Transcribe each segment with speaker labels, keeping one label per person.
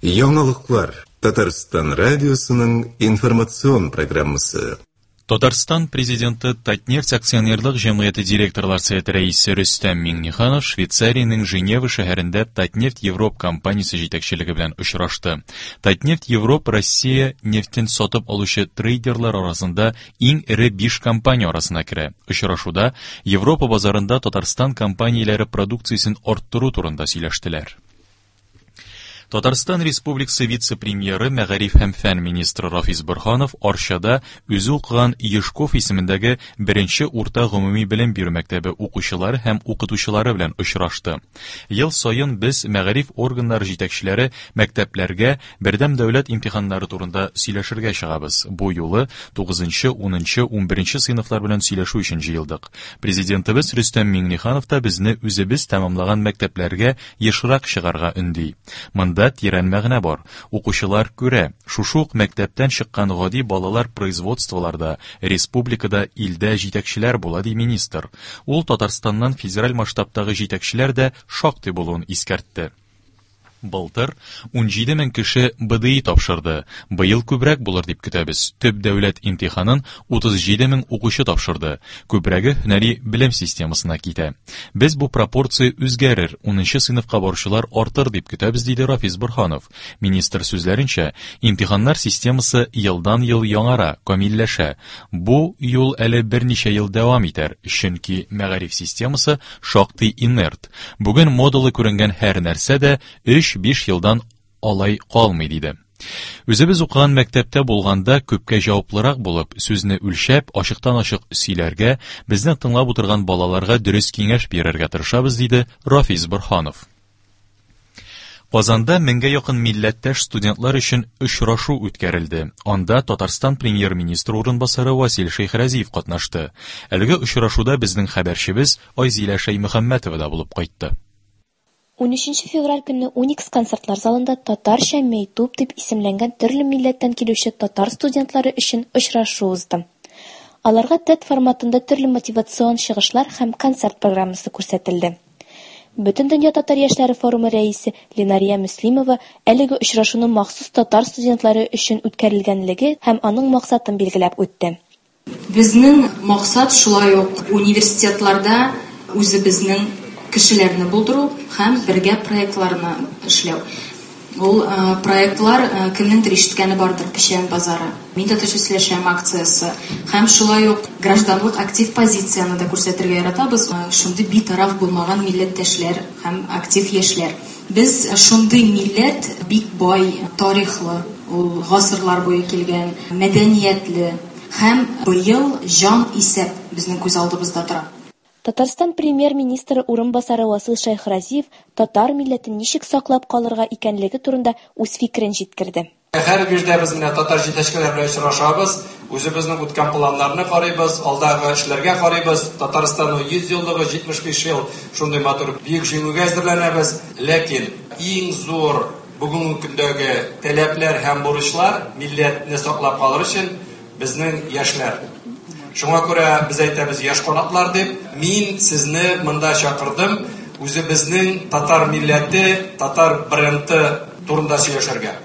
Speaker 1: Яңалыклар Татарстан радиосының информацион программасы.
Speaker 2: Татарстан Президенты Татнефть акционерлык җәмгыяте директорлар советы рәисе Рөстәм Миңнеханов Швейцариянең Женева шәһәрендә Татнефть Европ компаниясе җитәкчелеге белән очрашты. Татнефть Европ Россия нефтен сатып алучы трейдерлар арасында иң эре биш компания арасына керә. Очрашуда Европа базарында Татарстан компанияләре продукциясен арттыру турында сөйләштеләр. Татарстан Республикасы вице-премьеры, мәгариф һәм фән министры Рафис Борһанов Арчада үзе укыган Ешков исемендәге беренче урта гомуми белем бирү мәктәбе укучылары һәм укытучылары белән очрашты. Ел саен без мәгариф органнары җитәкчеләре мәктәпләргә бердәм дәүләт имтиханнары турында сөйләшергә чыгабыз. Бу юлы 9, 10, 11 сыйныфлар белән сөйләшү өчен җыелдык. Президентыбыз Рөстәм Миңнеханов та безне үзебез тәмамлаган мәктәпләргә ешрак чыгарга өнди. Монда тирән мәгънә бар. Укучылар күрә, шушы ук мәктәптән чыккан гади балалар производстволарда, республикада, илдә җитәкчеләр була, ди министр. Ул Татарстаннан федераль масштабтагы җитәкчеләр дә шактый булуын искәртте. Былтыр 17 мең кеше БДИ тапшырды. Быел күбрәк булыр дип көтәбез. Төп дәүләт имтиханын 37 мең укучы тапшырды. Күбрәге һөнәри белем системасына китә. Без бу пропорция үзгәрер, унынчы сыйныфка баручылар артыр дип көтәбез, диде Рафис Борһанов. Министр сүзләренчә, имтиханнар системасы елдан-ел яңара, камилләшә. Бу юл әле берничә ел дәвам итәр, чөнки мәгариф системасы шактый инерт. Бүген модалы күренгән һәр нәрсә дә өч-биш елдан алай калмый, диде. Үзебез укыган мәктәптә булганда күпкә җаваплырак булып, сүзне үлчәп, ачыктан-ачык сөйләргә, безне тыңлап утырган балаларга дөрес киңәш бирергә тырышабыз, диде Рафис Борһанов. Казанда меңгә якын милләттәш студентлар өчен очрашу үткәрелде. Анда Татарстан премьер-министры урынбасары Васил Шәйхразиев катнашты. Әлеге очрашуда безнең хәбәрчебез Айзилә Шәймөхәммәтова да булып кайтты.
Speaker 3: Унөченче февраль көнне Уникс концертлар залында Татарча мәйтүп дип исемләнгән төрле милләттән килүче татар студентлары өчен очрашу узды. Аларга TED форматында төрле мотивацион чыгышлар һәм концерт программасы күрсәтелде. Бөтендөнья татар яшьләре форумы рәисе Ленария Мөслимова әлеге очрашуның махсус татар студентлары өчен үткәрелгәнлеге һәм аның максатын билгеләп үтте.
Speaker 4: Безнең максат шулай ук университетларда үзебезнең кешеләрне булдыру һәм бергә проектларны эшләү. Ул проектлар кемнеңдер ишеткәне бардыр, Печән базары, Мин татарча сөйләшәм акциясе һәм шулай ук гражданлык актив позицияне дә күрсәтергә яратабыз. Шундый битараф булмаган милләттәшләр һәм актив яшьләр. Без шундый милләт, бик бай тарихлы, ул гасырлар буе килгән, мәдәниятле һәм быел җан исәп безнең күз алдыбызда тора.
Speaker 3: Татарстан Премьер-министры урынбасары Васил Шәйхразиев татар милләтен ничек саклап калырга икәнлеге турында үз фикерен җиткерде.
Speaker 5: Һәр бирдә без менә татар җитәкчеләре белән очрашабыз, үзебезнең үткән планнарны карыйбыз, алдагы эшләргә карыйбыз. Татарстанның 100 еллыгы, 75 ел шундый матур бөек җиңүгә әзерләнәбез. Ләкин иң зур бүгенге көндәге таләпләр һәм бурычлар милләтне саклап калыр өчен безнең яшьләр. Шуңа күрә без әйтәбез яшь канатлар дип. Мин сезне монда чакырдым, үзебезнең татар милләте, татар бренды турында сөйләшергә.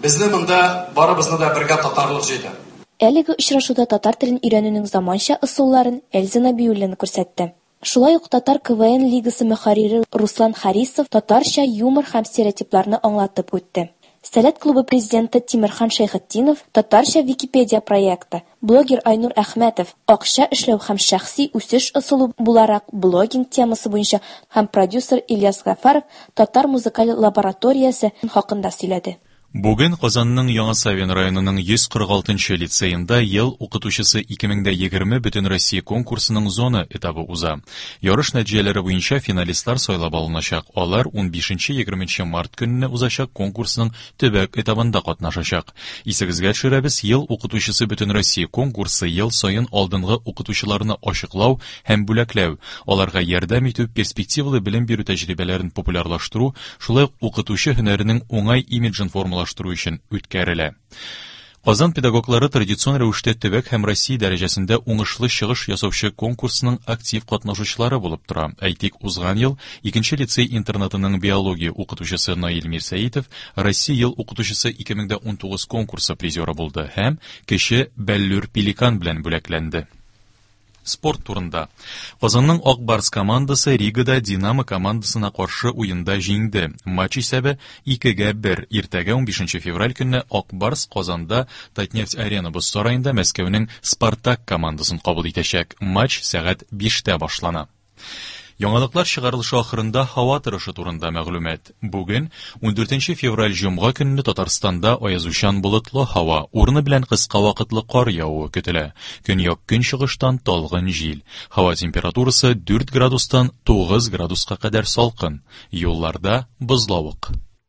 Speaker 5: Безне монда барыбызны да бергә татарлык җыйды.
Speaker 3: Әлеге очрашуда татар телен өйрәнүнең заманча ысулларын Эльза Нәбиуллина күрсәтте. Шулай ук Татар КВН лигасы мөхәррире Руслан Харисов татарча юмор һәм стереотипларны аңлатып үтте. Сәләт клубы президенты Тимерхан Шәйхетдинов Татарча Википедия проекты, блогер Айнур Әхмәтов акча эшләү һәм шәхси үсеш ысулы буларак блогинг темасы буенча һәм продюсер Ильяс Гафаров Татар музыкаль лабораториясе хакында сөйләде.
Speaker 2: Бүген Казанның Яңа Савин районының 146 нчы лицеенда Ел укытучысы 2020 Бөтенроссия конкурсының зона этабы уза. Ярыш нәтиҗәләре буенча финалистлар сайлап алыначак. Алар унбишенче-егерменче март көнне узачак конкурсның төбәк этабында катнашачак. Исегезгә төшерәбез, Ел укытучысы Бөтенроссия конкурсы ел саен алдынгы укытучыларны ачыклау һәм бүләкләү, аларга ярдәм итү, перспективалы белем бирү тәҗрибәләрен популярлаштыру, шулай ук укытучы һөнәренең уңай имиджын формалаштыру өчен үткәрелә. Казан педагоглары традицион рәвештә төбәк һәм Россия дәрәҗәсендә уңышлы чыгыш ясаучы конкурсның актив катнашучылары булып тора. Әйтик, узган ел икенче лицей-интернатының биология укытучысы Наил Мирсәитов Россия ел укытучысы 2019 конкурсы призеры булды һәм кече Бәллүр Пеликан белән бүләкләнде. Спорт турында. Казанның Ак Барс командасы Ригада Динамо командасына каршы уенда җиңде. Матч исәбе 2-гә 1. Иртәгә 15 февраль көнне Ак Барс Казанда Татнефть Арена боз сараенда Мәскәүнең Спартак командасын кабул итәчәк. Матч сәгать 5-тә башлана. Яңалыклар чыгарылышы ахырында һава торышы турында мәгълүмат. Бүген, 14 февраль җомга көнне Татарстанда аязучан болытлы һава, урыны белән кыска вакытлы кар явуы көтелә. Көньяк-көнчыгыштан талгын җил. Һава температурасы 4 градустан 9 градуска кадәр салкын. Юлларда бозлавык.